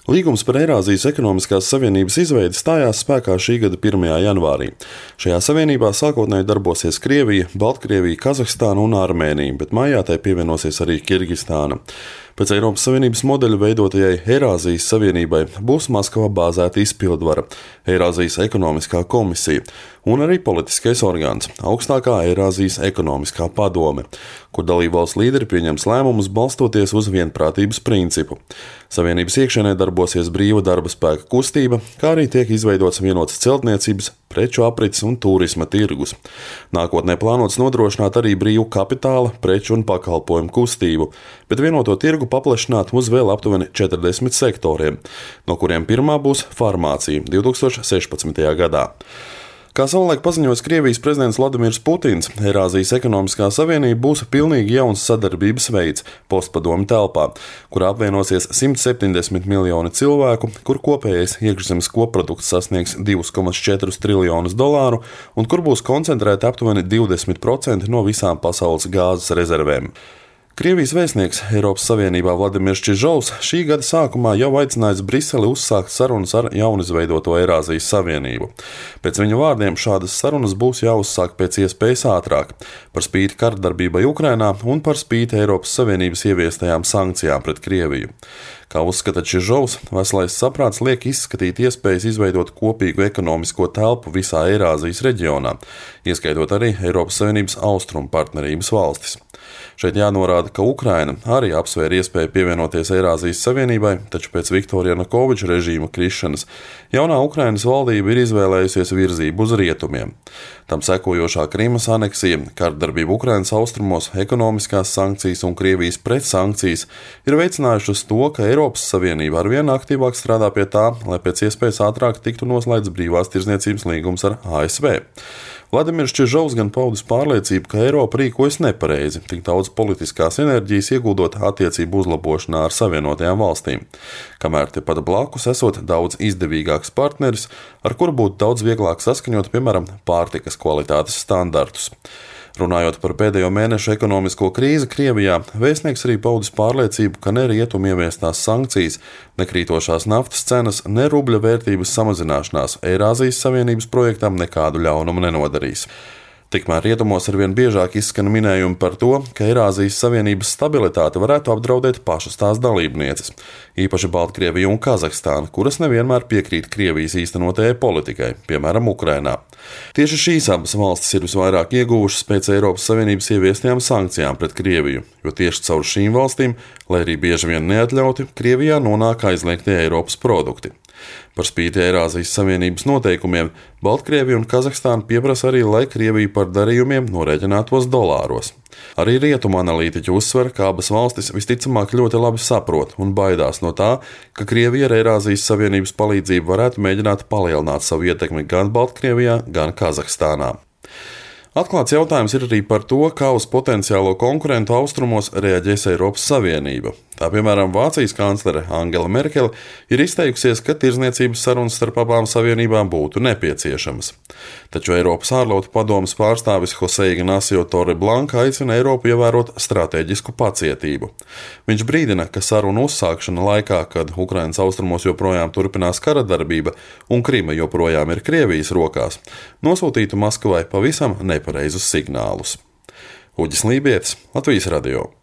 Līgums par Eirāzijas ekonomiskās savienības izveidi stājās spēkā šī gada 1. janvārī. Šajā savienībā sākotnēji darbosies Krievija, Baltkrievija, Kazahstāna un Armēnija, bet maijā tai pievienosies arī Kirgistāna. Pēc Eiropas Savienības modeļa veidotajai Eirāzijas Savienībai būs Maskavā bāzēta izpildvara, Eirāzijas ekonomiskā komisija un arī politiskais orgāns - augstākā Eirāzijas ekonomiskā padome, kur dalībvalstu līderi pieņems lēmumus balstoties uz vienprātības principu. Savienības iekšienē darbosies brīva darba spēka kustība, kā arī tiek izveidots vienots celtniecības, preču aprits un turisma tirgus. Nākotnē plānots nodrošināt arī brīvu kapitāla, preču un pakalpojumu kustību, bet vienoto tirgu paplašināt uz vēl aptuveni 40 sektoriem, no kuriem pirmā būs farmācija 2016. gadā. Kā savulaik paziņoja Krievijas prezidents Vladimirs Putins, Eirāzijas ekonomiskā savienība būs pilnīgi jauns sadarbības veids postpadomju telpā, kurā apvienosies 170 miljoni cilvēku, kur kopējais iekšzemes koprodukts sasniegs $2,4 triljonus un kur būs koncentrēti aptuveni 20% no visām pasaules gāzes rezervēm. Krievijas vēstnieks Eiropas Savienībā Vladimirs Čižovs šī gada sākumā jau aicinājis Briseli uzsākt sarunas ar jaunizveidoto Eirāzijas Savienību. Pēc viņa vārdiem šādas sarunas būs jāuzsāk pēc iespējas ātrāk, par spīti kardarbībai Ukrainā un par spīti Eiropas Savienības ieviestajām sankcijām pret Krieviju. Kā uzskata Čižovs, veselais saprāts liek izskatīt iespējas izveidot kopīgu ekonomisko telpu visā Eirāzijas reģionā, ieskaitot arī Eiropas Savienības austrumu partnerības valstis. Šeit jānorāda, ka Ukraina arī apsvēra iespēju pievienoties Eirāzijas Savienībai, taču pēc Viktora Janukoviča režīma krišanas jaunā Ukrainas valdība ir izvēlējusies virzību uz rietumiem. Tam sekojošā Krimas aneksija, kardarbība Ukrainas austrumos, ekonomiskās sankcijas un Krievijas pretsankcijas ir veicinājušas to, ka Eiropas Savienība arvien aktīvāk strādā pie tā, lai pēc iespējas ātrāk tiktu noslēgts brīvās tirdzniecības līgums ar ASV. Vladimirs Čižovs gan paudis pārliecību, ka Eiropa rīkojas nepareizi, tik daudz politiskās enerģijas ieguldot attiecību uzlabošanā ar Savienotajām valstīm, kamēr tepat blakus esot daudz izdevīgāks partneris, ar kuru būtu daudz vieglāk saskaņot, piemēram, pārtikas kvalitātes standartus. Runājot par pēdējo mēnešu ekonomisko krīzi Krievijā, vēstnieks arī paudis pārliecību, ka ne rietumu ieviestās sankcijas, ne krītošās naftas cenas, ne rubļa vērtības samazināšanās Eirāzijas Savienības projektam nekādu ļaunumu nenodarīs. Tikmēr rietumos arvien biežāk izskan minējumi par to, ka Eirāzijas Savienības stabilitāte varētu apdraudēt pašas tās dalībnieces, īpaši Baltkrievija un Kazahstāna, kuras nevienmēr piekrīt Krievijas īstenotajai politikai, piemēram, Ukrainā. Tieši šīs abas valstis ir visvairāk ieguvušas pēc Eiropas Savienības ieviestajām sankcijām pret Krieviju, jo tieši caur šīm valstīm, lai arī bieži vien neatļauti, Krievijā nonāk aizliegtie Eiropas produkti. Par spīti Eirāzijas Savienības noteikumiem, Baltkrievija un Kazahstāna pieprasa arī, lai Krievija par darījumiem norēķinātos dolāros. Arī rietumu analītiķi uzsver, ka abas valstis visticamāk ļoti labi saprot un baidās no tā, ka Krievija ar Eirāzijas Savienības palīdzību varētu mēģināt palielināt savu ietekmi gan Baltkrievijā, gan Kazahstānā. Atklāts jautājums ir arī par to, kā uz potenciālo konkurentu austrumos reaģēs Eiropas Savienība. Tā piemēram, Vācijas kanclere Angela Merkele ir izteikusies, ka tirdzniecības sarunas starp abām savienībām būtu nepieciešamas. Taču Eiropas ārlietu padomes pārstāvis José Ignacio Torreblanca aicina Eiropu ievērot stratēģisku pacietību. Viņš brīdina, ka sarunu uzsākšana laikā, kad Ukrainas austrumos joprojām turpinās kara darbība un Krima joprojām ir Krievijas rokās, nosūtītu Maskavai pavisam nepareizus signālus. Uģis Lībietis, Latvijas radio.